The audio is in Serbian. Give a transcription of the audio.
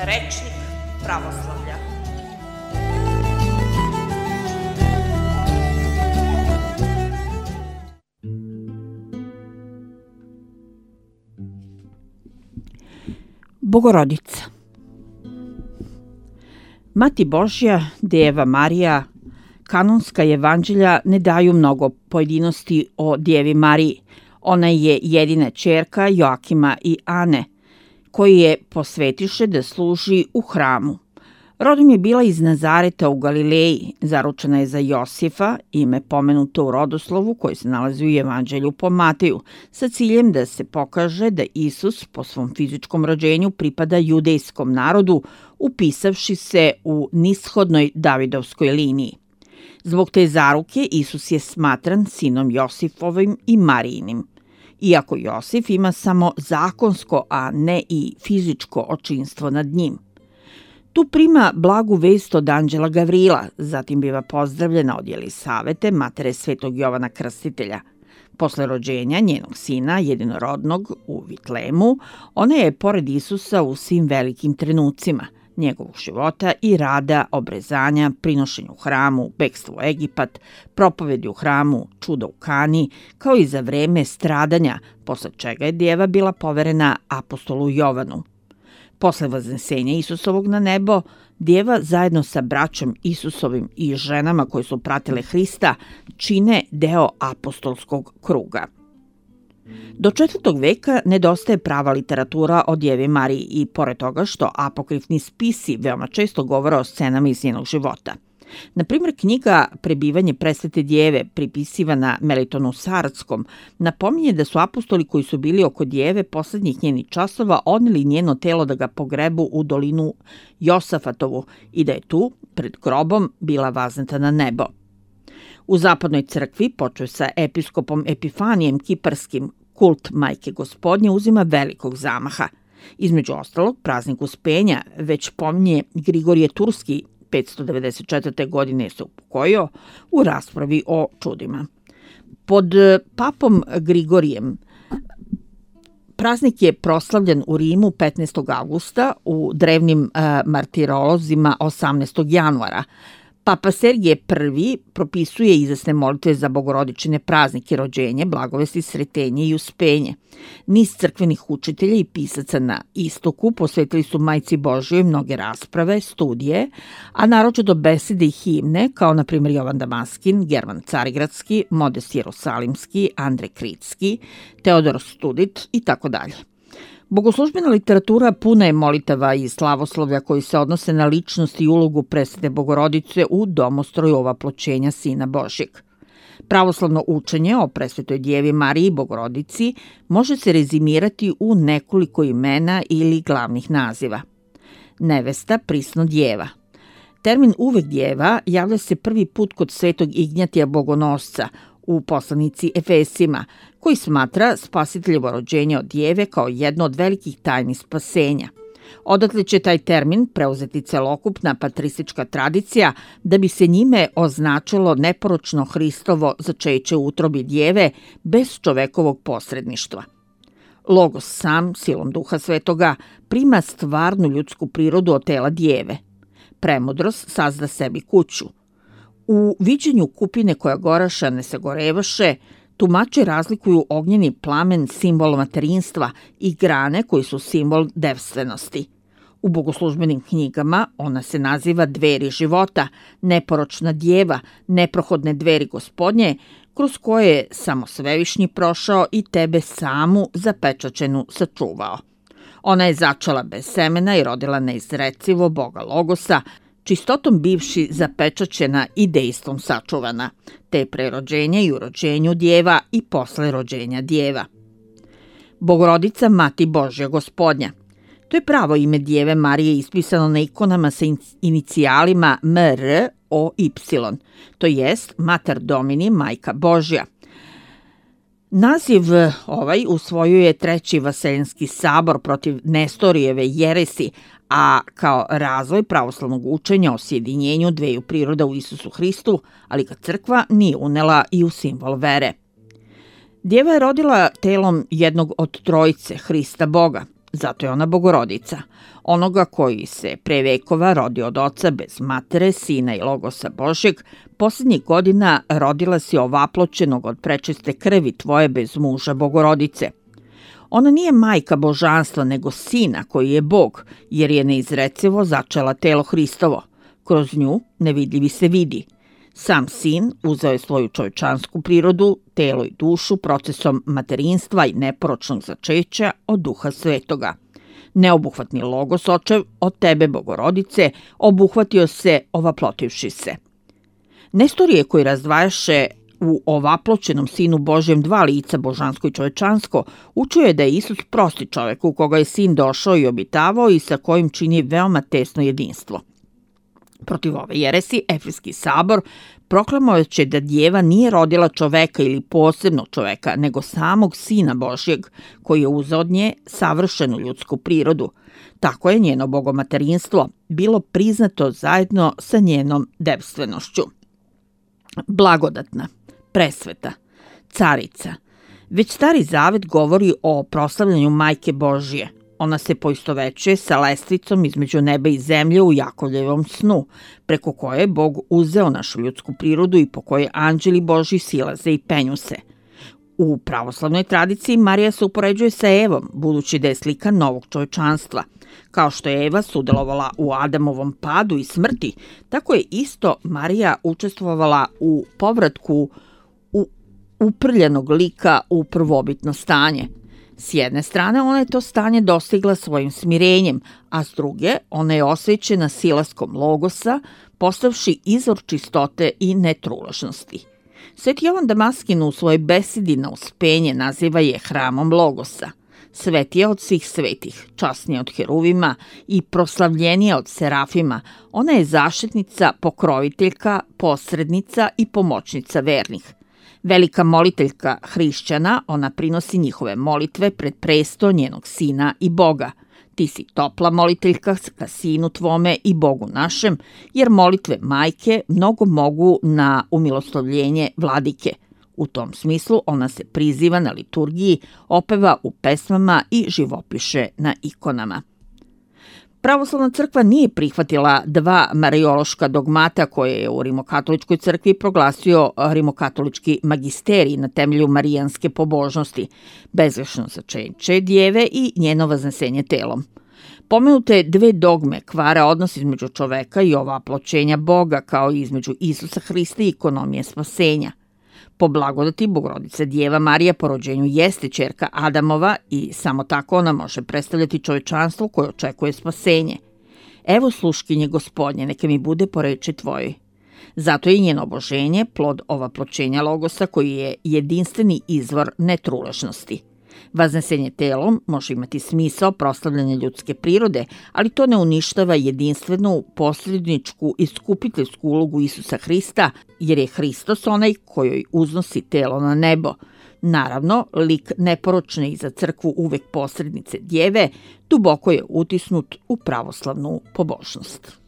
Rečnik pravoslavlja. Bogorodica. Mati Božja, Deva Marija, kanonska evanđelja ne daju mnogo pojedinosti o Djevi Mariji. Ona je jedina ćerka Joakima i Ane, koji je posvetiše da služi u hramu. Rodom je bila iz Nazareta u Galileji, zaručena je za Josifa, ime pomenuto u rodoslovu koji se nalazi u Evanđelju po Mateju, sa ciljem da se pokaže da Isus po svom fizičkom rođenju pripada judejskom narodu, upisavši se u nishodnoj Davidovskoj liniji. Zbog te zaruke Isus je smatran sinom Josifovim i Marijinim. Iako Josif ima samo zakonsko, a ne i fizičko očinstvo nad njim. Tu prima blagu vest od anđela Gavrila, zatim biva pozdravljena od Jelisavete, matere svetog Jovana Krstitelja. Posle rođenja njenog sina, jedinorodnog, u Vitlemu, ona je pored Isusa u svim velikim trenucima njegovog života i rada, obrezanja, prinošenju u hramu, bekstvo u Egipat, propovedi u hramu, čuda u Kani, kao i za vreme stradanja, posle čega je djeva bila poverena apostolu Jovanu. Posle vaznesenja Isusovog na nebo, djeva zajedno sa braćom Isusovim i ženama koje su pratile Hrista čine deo apostolskog kruga. Do 4. veka nedostaje prava literatura o Djevi Mariji i pored toga što apokrifni spisi veoma često govore o scenama iz njenog života. Na primjer, knjiga Prebivanje presvete djeve, pripisivana Melitonu Sardskom, napominje da su apostoli koji su bili oko djeve poslednjih njenih časova odneli njeno telo da ga pogrebu u dolinu Josafatovu i da je tu, pred grobom, bila vazneta na nebo. U zapadnoj crkvi, počeo sa episkopom Epifanijem Kiparskim, kult Majke Gospodnje uzima velikog zamaha. Između ostalog, praznik Uspenja već pominje Grigorije Turski, 594. godine se upokojio u raspravi o čudima. Pod papom Grigorijem praznik je proslavljen u Rimu 15. augusta, u drevnim martirolozima 18. januara. Papa Sergije I propisuje izasne molitve za bogorodičine praznike, rođenje, blagovesti, sretenje i uspenje. Niz crkvenih učitelja i pisaca na istoku posvetili su Majci Božjoj mnoge rasprave, studije, a naročito besede i himne, kao na primjer Jovan Damaskin, German Carigradski, Modest Jerusalimski, Andrej Kritski, Teodor Studit i tako dalje. Bogoslužbena literatura puna je molitava i slavoslovlja koji se odnose na ličnost i ulogu presvete Bogorodice u domostroju ovaploćenja Sina Božjeg. Pravoslavno učenje o presvetoj Djevi Mariji i Bogorodici može se rezimirati u nekoliko imena ili glavnih naziva. Nevesta, prisno djeva. Termin uvek djeva javlja se prvi put kod svetog Ignjatija Bogonosca u poslanici Efesima, koji smatra spasiteljevo rođenje od djeve kao jedno od velikih tajni spasenja. Odatle će taj termin preuzeti celokupna patristička tradicija da bi se njime označilo neporočno Hristovo začeće u utrobi djeve bez čovekovog posredništva. Logos sam, silom Duha Svetoga, prima stvarnu ljudsku prirodu od tela djeve. Premudrost sazda sebi kuću. U viđenju kupine koja goraša ne se gorevaše, tumači razlikuju ognjeni plamen, simbol materinstva, i grane koji su simbol devstvenosti. U bogoslužbenim knjigama ona se naziva dveri života, neporočna djeva, neprohodne dveri Gospodnje, kroz koje je samo Svevišnji prošao i tebe samu zapečaćenu sačuvao. Ona je začala bez semena i rodila neizrecivo Boga Logosa, čistotom bivši zapečaćena i dejstvom sačuvana, te pre rođenja i u rođenju djeva i posle rođenja djeva. Bogorodica Mati Božja Gospodnja. To je pravo ime Djeve Marije ispisano na ikonama sa inicijalima MR, O, Y, to jest Mater Domini, Majka Božja. Naziv ovaj usvojio je Treći Vaseljenski sabor protiv Nestorijeve jeresi, a kao razvoj pravoslavnog učenja o sjedinjenju dveju priroda u Isusu Hristu, ali ga crkva nije unela i u simbol vere. Djeva je rodila telom jednog od trojice, Hrista Boga. zato je ona Bogorodica. Onoga koji se pre vekova rodio od oca bez matere, sina i logosa Božjeg, posljednjih godina rodila si ovaploćenog od prečiste krvi tvoje bez muža Bogorodice. Ona nije majka božanstva, nego sina koji je Bog, jer je neizrecivo začela telo Hristovo. Kroz nju nevidljivi se vidi. Sam sin uzeo je svoju čovječansku prirodu, telo i dušu procesom materinstva i neporočnog začeća od Duha Svetoga. Neobuhvatni logos očev od tebe, Bogorodice, obuhvatio se ovaplotivši se. Nestorije koji razdvajaše u ovaploćenom sinu Božjem dva lica, božansko i čovečansko, učio je da je Isus prosti čovek u koga je sin došao i obitavao i sa kojim čini veoma tesno jedinstvo. Protiv ove jeresi, Efeski sabor proklamovaće da djeva nije rodila čoveka ili posebnog čoveka, nego samog sina Božjeg, koji je uzeo od nje savršenu ljudsku prirodu. Tako je njeno bogomaterinstvo bilo priznato zajedno sa njenom devstvenošću. Blagodatna, presveta, carica. Već Stari Zavet govori o proslavljanju Majke Božje. Ona se poistovećuje sa lestvicom između neba i zemlje u Jakovljevom snu, preko koje je Bog uzeo našu ljudsku prirodu i po kojoj anđeli Božji silaze i penju se. U pravoslavnoj tradiciji Marija se upoređuje sa Evom, budući da je slika novog čovečanstva. Kao što je Eva sudelovala u Adamovom padu i smrti, tako je isto Marija učestvovala u povratku uprljenog lika u prvobitno stanje. S jedne strane, ona je to stanje dostigla svojim smirenjem, a s druge, ona je osvećena silaskom logosa, postavši izvor čistote i netruložnosti. Sveti Jovan Damaskin u svojoj besedi na uspenje naziva je hramom logosa. Svetija od svih svetih, časnija od heruvima i proslavljenija od serafima, ona je zaštitnica, pokroviteljka, posrednica i pomoćnica vernih. Velika moliteljka hrišćana, ona prinosi njihove molitve pred presto njenog sina i Boga. Ti si topla moliteljka ka sinu tvome i Bogu našem, jer molitve majke mnogo mogu na umilostovljenje vladike. U tom smislu ona se priziva na liturgiji, opeva u pesmama i živopiše na ikonama. Pravoslavna crkva nije prihvatila dva marijološka dogmata koje je u Rimokatoličkoj crkvi proglasio Rimokatolički magisterij na temelju marijanske pobožnosti, bezgrešno začeće djeve i njeno vaznesenje telom. Pomenute dve dogme kvare odnos između čoveka i ovaploćenja Boga, kao i između Isusa Hrista i ekonomije spasenja. Po blagodati Bogorodice Djeva Marija po rođenju jeste ćerka Adamova i samo tako ona može predstavljati čovečanstvo koje očekuje spasenje. Evo sluškinje Gospodnje, neka mi bude po reči tvojoj. Zato je njeno oboženje plod ovaploćenja logosa koji je jedinstveni izvor netruležnosti. Vaznesenje telom može imati smisao proslavljanja ljudske prirode, ali to ne uništava jedinstvenu, posredničku i skupiteljsku ulogu Isusa Hrista, jer je Hristos onaj kojoj uznosi telo na nebo. Naravno, lik neporočne i za crkvu uvek posrednice djeve duboko je utisnut u pravoslavnu pobožnost.